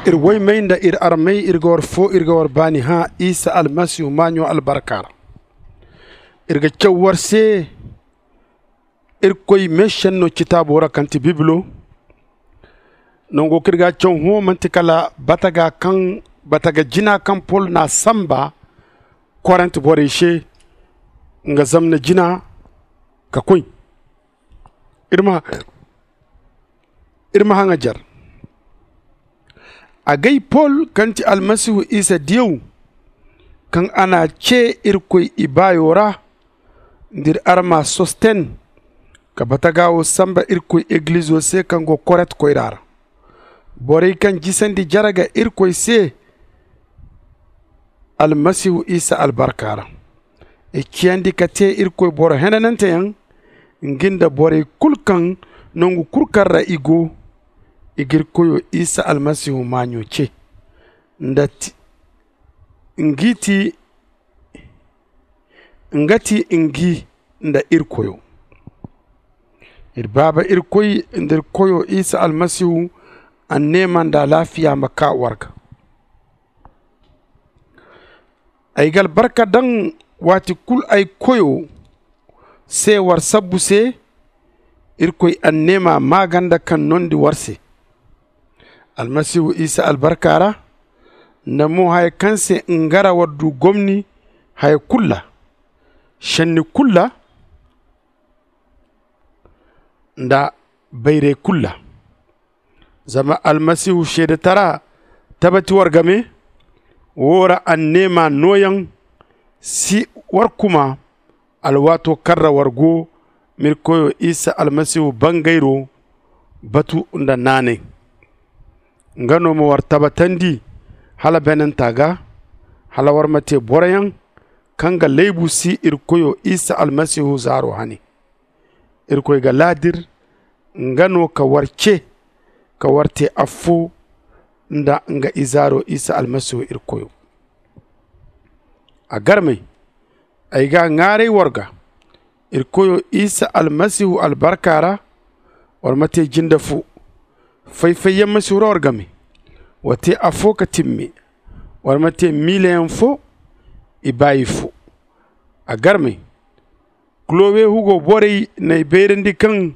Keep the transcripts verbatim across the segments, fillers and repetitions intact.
Iri woymey nda iri armey, iri ga war foo, iri ga war baani hã isa almasihu maaɲo albarka ra. Iri ga caw war se irkoy meešenno citaabo ra kaŋ ti bibilo. Nango kaŋ iri ga a caw hõ man'ti kala bataga jina kaŋ pol n'a sanba korent borey se, nga zamna jina ka koy. Iri ma haŋajer. Agay pol kaŋ ti almasihu isa diyaw, kaŋ a n'a cee irkoy ibaayo ra, nda iri arma sosten, ka bataga woo sanba irkoy egilizo se kaŋ go korent koyra ra, borey kaŋ jisandi jere ga irkoy se almasihu isa albarka ra. I ciyandi ka tee irkoy boro henananteyaŋ, ngi nda borey kul kaŋ nangu kul kaŋ ra i go, i ga iri koyo isa almasihu maaɲo cee. Nda ti ngi ti nga ti ngi nda iri koyo. Iri baaba irkoy nda iri koyo isa almasihu anneema nda alaafiya ma kaa war ga. Ay ga albarka daŋ waati kul ay koyo se war sabbu se. Irkoy anneema maaganda kaŋ nondi war se. Almasihu isa albarka ra nda mo haya kaŋ se nga ra war du gomni haya kul ra, šenni kul ra nda bayray kul ra. Zama almasihu seedetara tabati war game. Woo ra anneema nooyaŋ si war kuma alwaato kaŋ ra war go ma iri koyo isa almasihu bangayro batu nda naanay. Nga no ma war tabatandi hala beenanta ga, hala war ma tee boroyaŋ kaŋ ga laybu si iri koyo isa almasihu zaaro hane. Irkoy ga laadir nga no ka war cee ka war tee affoo nda nga izaaro isa almasihu iri koyo. A garmey, ay ga a ŋaaray war ga iri koyo isa almasihu albarka ra, war ma tee jinde foo. Fay-fayyaŋ ma si huru war game. Wa tee affoo ka timme. War ma tee miilayaŋ foo. Ibaayi foo. A garmey, kulowe hugo borey n'ay bayrandi kaŋ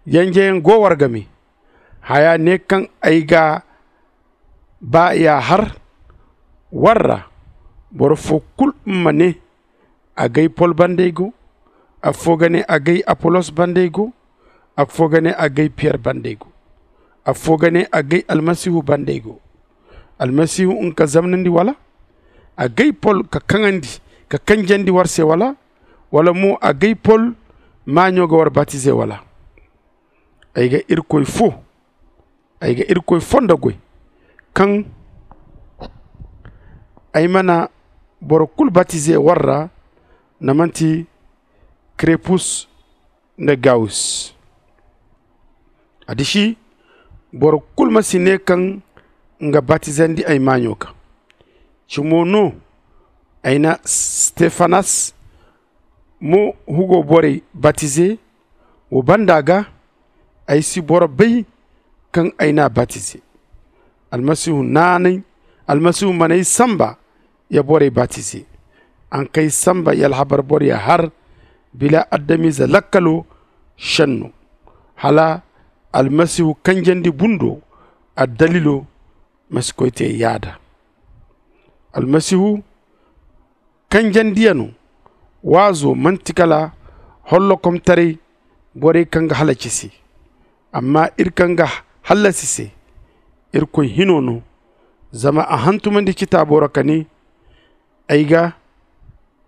yanjeyaŋ go war game. Haya ne kaŋ ay ga baa ya har war ra. Boro foo kul ma ne, agay pol banda ay go. Affoo ga ne, agay apolos banda ay go. Affoo ga ne, agay piyer banda ay go. Affoo ga ne, agay almasihu banda ay go. Almasihu nga ka zamnandi wala? Agay pol ka kaŋandi ka kanjandi war se wala? Wala mo agay pol maaɲo ga war batize wala? Ay ga irkoy foo ay ga irkoy foo nda goy kaŋ ay mana boro kul batize war ra. Nda man'ti krepus nda gawus. Adiši, boro kul ma si ne kaŋ nga batizandi ay maaɲo ga. Cimo no ay na stefanas mo hugo borey batize. Wo banda ga ay si boro bay kaŋ ay n'a batize. Almasihu naanay almasihu man'ay sanba ya borey batize. A na kay sanba ya alhabar boroya har bila adamize lakkalo šenno, hala almasihu kanjandi bundo addalilo ma si koy te yaada. Almasihu kanjandiyano waazo man'ti kala hollokomtaray borey kaŋ ga halaci se. Amma iri kaŋ ga hallasi se, irkoy hino no. Zama a hantumandi citaabo ra ka ne, ay ga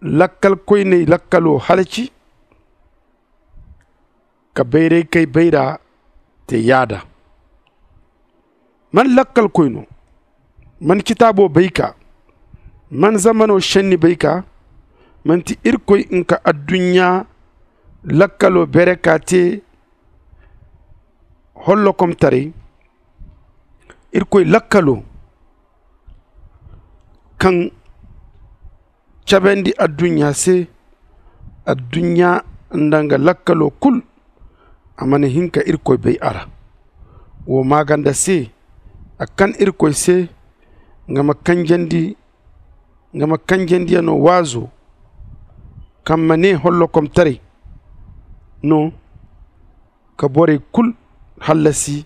lakkalkoyney lakkalo halaci ka bayraykey bayra te yaada. Man lakkalkoy no? Man citaabo bay ka? Man zamano šenni bay ka? Man'ti irkoy nga ka adduɲɲa lakkalo bere ka te hollokomtaray? Irkoy lakkalo kaŋ cabandi adduɲɲa se, adduɲɲa nda nga lakkalo kul, a mana hin ka irkoy bay a ra. Wo maaganda se A kan irkoy se nga ma kanjandi nga ma kanjandi ya no waazo kaŋ ma ne hollokomtaray no ka borey kulu hallasi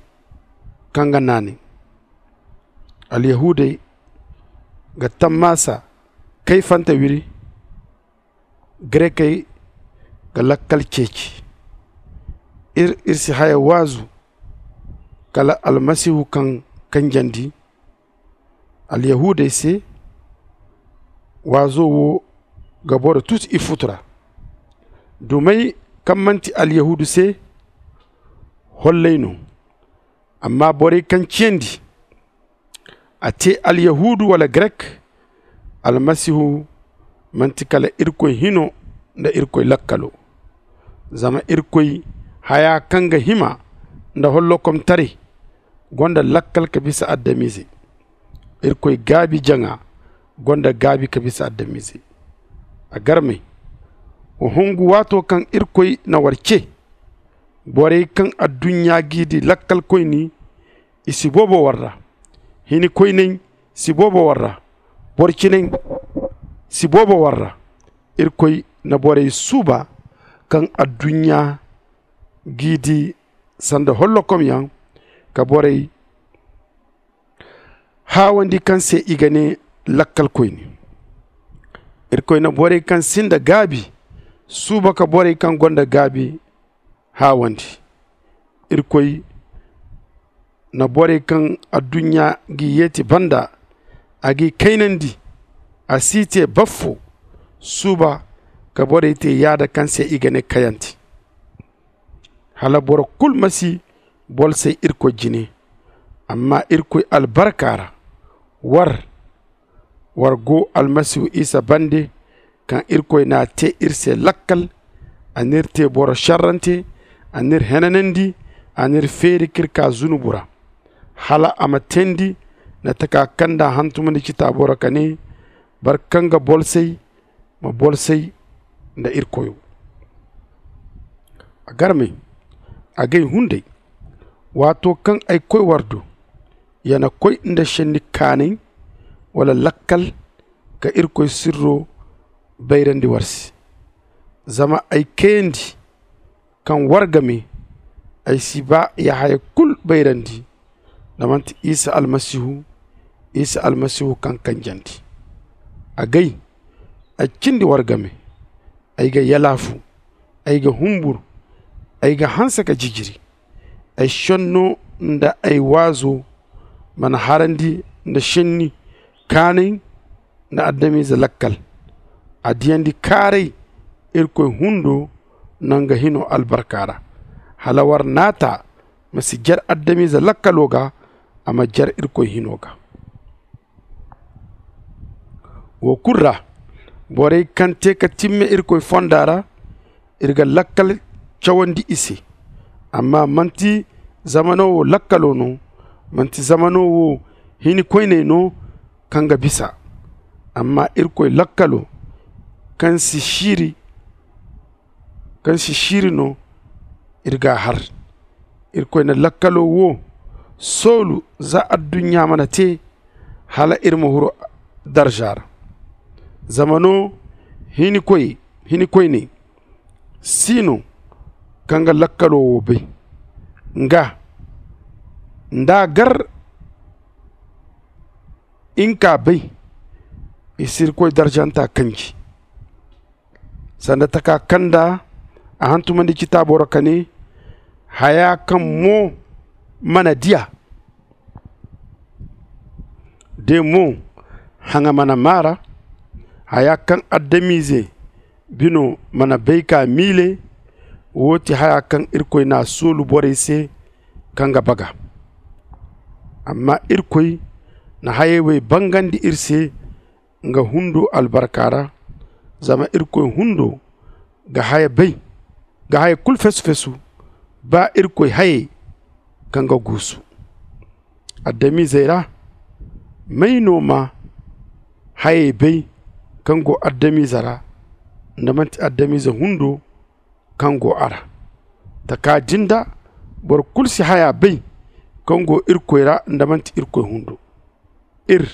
kaŋ ga naanay. Alyahuudey ga tammaasa kayfante wiri. Grekey ga lakkal ceeci. Ir si haya waazu kala almasihu kaŋ kanjandi alyahuudey se. Waazo wo ga boro tuti ifutu ra. Dumey kaŋ manti alyahuudu se holley no. Amma borey kaŋ ciyandi a te alyahuudu wala grek, almasihu manti kala irkoy hino nda irkoy lakkalo. Zama irkoy haya kaŋ ga hima nda hollokomtaray gonda lakkal ka bisa adamiizey. Irkoy gaabi jaŋa gonda gaabi ka bisa adamiizey. A garmey, wa hungu waato kaŋ irkoy na war ce. Borey kaŋ adduɲɲa g'i di lakkalkoyni, i si boobo war ra. Hinikoyney si boobo war ra. Boro ciney si boobo war ra. Irkoy na borey suuba kaŋ adduɲɲa g'i di sanda hollokomyaŋ ka borey haawandi kaŋ se i ga ne lakkalkoyne. Irkoy na borey kaŋ sinda gaabi suuba ka borey kaŋ gonda gaabi haawandi. Irkoy na borey kaŋ adduɲɲa g'i yeeti banda a g'i kaynandi. A s'i te baffo suuba ka borey te yaada kaŋ se i ga ne kayante. Hala boro kulu ma si bolsay irkoy jine. Amma irkoy albarka ra war war go almasihu isa bande, kaŋ irkoy n'a te iri se lakkal. A n'iri te boro šerrante. A n'iri henanandi. A n'iri feeri k'iri kaa zunubu ra hala a ma teendi nda taka kaŋ nda a hantumandi citaabo ra ka ne, boro kaŋ ga bolsay ma bolsay nda iri koyo. A garmey, agay hunday, waato kaŋ ay koy war do, ya na koy nda šenni kaanay wala lakkal ka irkoy sirro bayrandi war se. Zama ay kayandi kaŋ war game, ay si ba ya haya kulu bayrandi nda manti isa almasihu. Isa almasihu kaŋ kanjandi agay, ay cindi war game. Ay ga yalaafu, ay ga humbur, ay ga hanse ka jijiri. Ay šenno nda ay waazo mana harandi nda šenni kaanay nda adamize lakkal. A diyandi kaaray irkoy hundo nda nga hino albarka ra, hala war naata ma si jer adamize lakkalo ga, a ma jer irkoy hino ga. Wo kulu ra, borey kaŋ te ka timme irkoy fonda ra, iri ga lakkal cawandi i se. Amma manti zamano wo lakkalo no, manti zamano wo hinikoyney no kaŋ ga bisa. Amma irkoy lakkalo kaŋ si siiri kaŋ si siiri no, iri g'a har. Irkoy na lakkalo wo soolu za adduɲɲa mana te, hala iri ma huru darza ra. Zama no hinikoy hinikoyney si no kaŋ ga lakkalo wo bay. Nga nda a gar nga k'a bay, i si irkoy darzanta kanji. Sanda taka kaŋ nda a hantumandi citaabo ra ka ne, haya kaŋ mo mana di a, de mo haŋa mana maa ra, haya kaŋ adamize bino mana bay k'a miile. Wo ti haya kaŋ irkoy n'a soolu borey se kaŋ ga baga. Amma irkoy na hayey wey bangandi iri se nga hundo albarka ra. Zama irkoy hundo ga haya bay, ga haya kulu fesu-fesu, ba irkoy hayey kaŋ ga guusu adamizey ra. May no ma hayey bay kaŋ go adamize ra, nda manti adamize hundo kaŋ go a ra? Taka din da boro kulu si haya bay kaŋ go irkoy ra nda manti irkoy hundo. Ir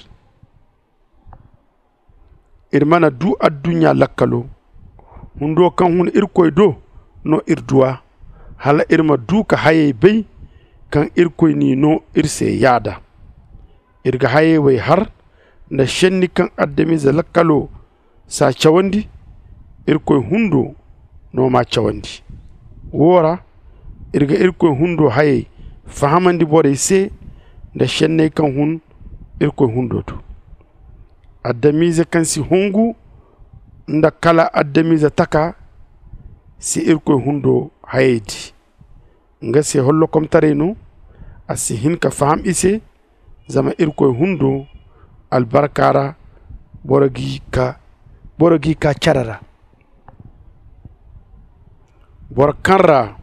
ir mana du adduɲɲa lakkalo hundo kaŋ hun irkoy do no ir du a, hala ir ma du ka hayey bay kaŋ irkoy n'i no ir se yaada. Ir ga hayey wey har nda šenni kaŋ adamize lakkalo s'a cawandi, irkoy hundo no m'a cawandi. Woo ra ir ga irkoy hundo hayey fahamandi borey se nda šenney kaŋ hun irkoy hundo do. Adamize kaŋ si hungu nda kala adamize taka si irkoy hundo hayey di. Nga se hollokomtaray no. A si hin ka faham i se. Zama irkoy hundo albarka ra boro g'i ka cere ra. Boro kaŋ ra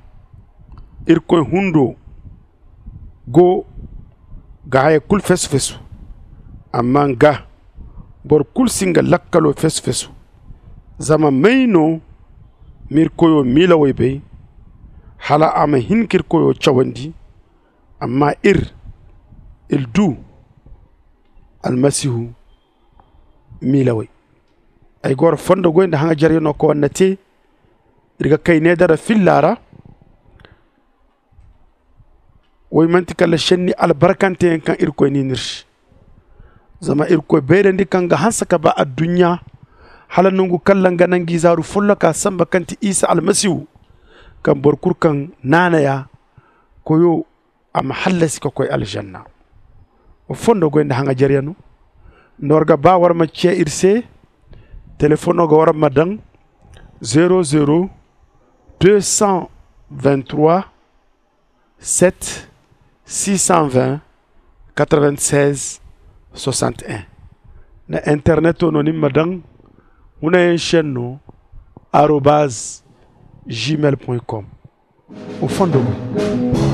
irkoy hundo go ga haya kul fesu-fesu. Amma nga boro kul si nga lakkalo fesu-fesu. Zama may no m'irkoyo miilawey bay hala a ma hin k'irkoyo cawandi? Amma ir ir du almasihu miilawey. Ay ga war fondo goy nda haŋajeryano kaŋ war na te ir ga kay needara filla ra. Woy manti kala šenni albarkanteyaŋ kaŋ irkoy n'i no ir se. Zama irkoy bayrandi kaŋ ga hanse ka ba adduɲɲa hala nangu kaŋ ra nga na nga izaaru folloka sanba kaŋ ti isa almasihu, kaŋ boro kulu kaŋ naanay a koyo a ma hallasi ka koy alžanna. Wa fondo goy nda haŋajeryano nda war ga ba war ma ciya ir se. Telefono ga war ma daŋ zero zero deux cent vingt trois sept six cent vingt quatre vingt seize soixante et un. Nda interneto no ni ma daŋ hunayaŋ šenno arobaz gmail point com. Wa fondo goy.